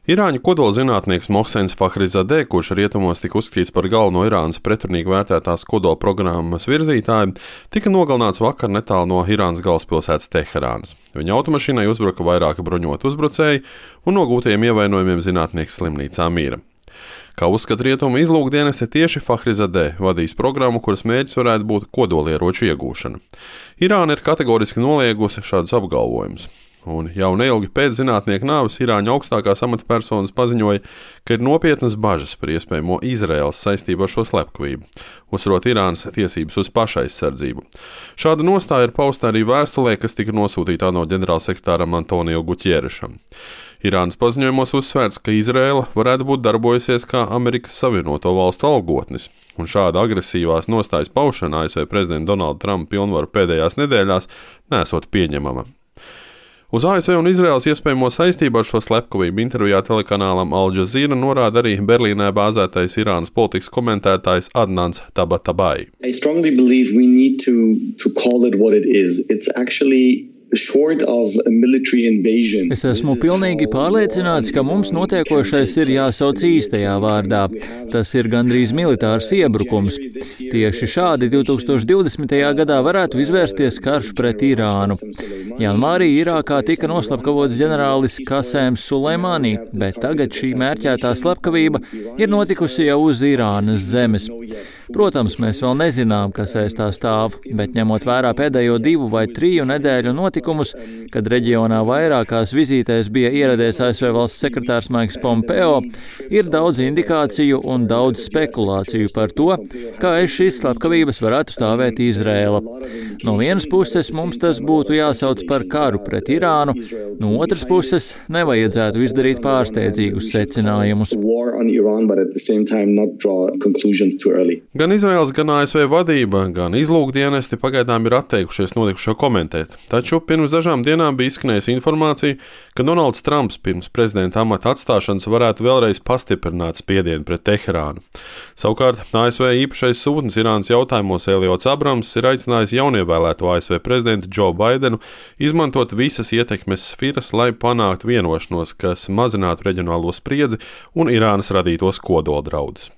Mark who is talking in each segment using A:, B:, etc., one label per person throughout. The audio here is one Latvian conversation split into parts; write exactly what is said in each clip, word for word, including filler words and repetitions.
A: Irāņu kodolzinātnieks Mohsens Fakhrizadeh, kurš rietumos tika uzskatīts par galveno Irānas pretrunīgi vērtētās kodola programmas virzītāju, tika nogalināts vakar netālu no Irānas galvaspilsētas Teherānas. Viņa automašīnai uzbruka vairāki bruņoti uzbrucēji un no gūtajiem ievainojumiem zinātnieks slimnīcā mīra. Kā uzskata rietumu izlūkdienesti, tieši Fakhrizadeh vadīs programmu, kuras mērķis varētu būt kodolieroču iegūšana. Irāna ir kategoriski noliegusi šādus apgalvojumus. Un jau neilgi pēc zinātnieka nāves Irāņu augstākās amatpersonas paziņoja, ka ir nopietnas bažas par iespējamo Izraēlas saistību ar šo slepkavību, uzsverot Irānas tiesības uz pašaizsardzību. Šāda nostāja ir pausta arī vēstulē, kas tika nosūtīta ANO ģenerālsekretāram Antonio Gutierešam. Irānas paziņojumos uzsvērts, ka Izraēla varētu būt darbojusies kā Amerikas Savienoto Valstu algotnis, un šāda agresīvās nostājas paušana A S V prezidenta Donalda Trumpa pilnvaru pēdējās nedēļās nesot pieņemama. Uz A S V un Izraēlas iespējamo saistību ar šo slepkavību intervijā telekanālam Al Jazeera norāda arī Berlīnē bāzētais Irānas politikas komentētājs Adnans Tabatabai.
B: I strongly believe we need to, to call it what it is. It's actually
C: Es esmu pilnīgi pārliecināts, ka mums notiekošais ir jāsauc īstajā vārdā. Tas ir gandrīz militārs iebrukums. Tieši šādi divtūkstoš divdesmitajā gadā varētu izvērsties karš pret Irānu. Janvārī Irākā tika noslapkavots ģenerālis Kasēms Suleimani, bet tagad šī mērķētā slepkavība ir notikusi jau uz Irānas zemes. Protams, mēs vēl nezinām, kas aiz tā stāv, bet ņemot vērā pēdējo divu vai triju nedēļu notikumus, kad reģionā vairākās vizītēs bija ieradies A S V valsts sekretārs Maiks Pompeo, ir daudz indikāciju un daudz spekulāciju par to, kā aiz šīs slepkavības varētu stāvēt Izraēla. No vienas puses mums tas būtu jāsauc par karu pret Irānu, no otras puses nevajadzētu izdarīt pārsteidzīgus secinājumus.
A: Gan Izraēlas, gan A S V vadība, gan izlūkdienesti pagaidām ir atteikušies notikušo komentēt, taču pirms dažām dienām bija izskanējusi informācija, ka Donalds Trumps pirms prezidenta amata atstāšanas varētu vēlreiz pastiprināt spiedienu pret Teherānu. Savukārt A S V īpašais sūtnis Irānas jautājumos Eliots Abrams ir aicinājis jaunievēlēto A S V prezidentu Džo Baidenu izmantot visas ietekmes sfiras, lai panāktu vienošanos, kas mazinātu reģionālo spriedzi un Irānas radītos kodoldraudus.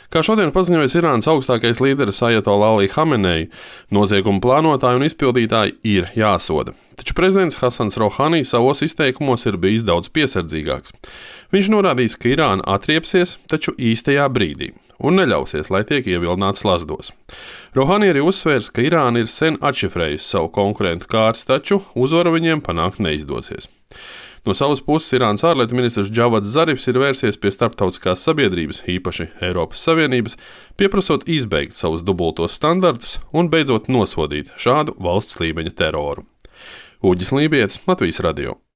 A: Kā šodien paziņojas Irānas augstākais līderis Ajatolla Ali Hamenei, noziegumu plānotāji un izpildītāji ir jāsoda. Taču prezidents Hasans Rohani savos izteikumos ir bijis daudz piesardzīgāks. Viņš norādījis, ka Irāna atriepsies, taču īstajā brīdī, un neļausies, lai tiek ievilināts slazdos. Rohani arī uzsvērs, ka Irāna ir sen atšifrējusi savu konkurentu kārtas, taču uzvaru viņiem panākt neizdosies. No savas puses Irānas ārlietu ministrs Džavads Zarifs ir vērsies pie starptautiskās sabiedrības, īpaši Eiropas Savienības, pieprasot izbeigt savus dubultos standartus un beidzot nosodīt šādu valsts līmeņa teroru. Uģis Lībietis, Latvijas radio.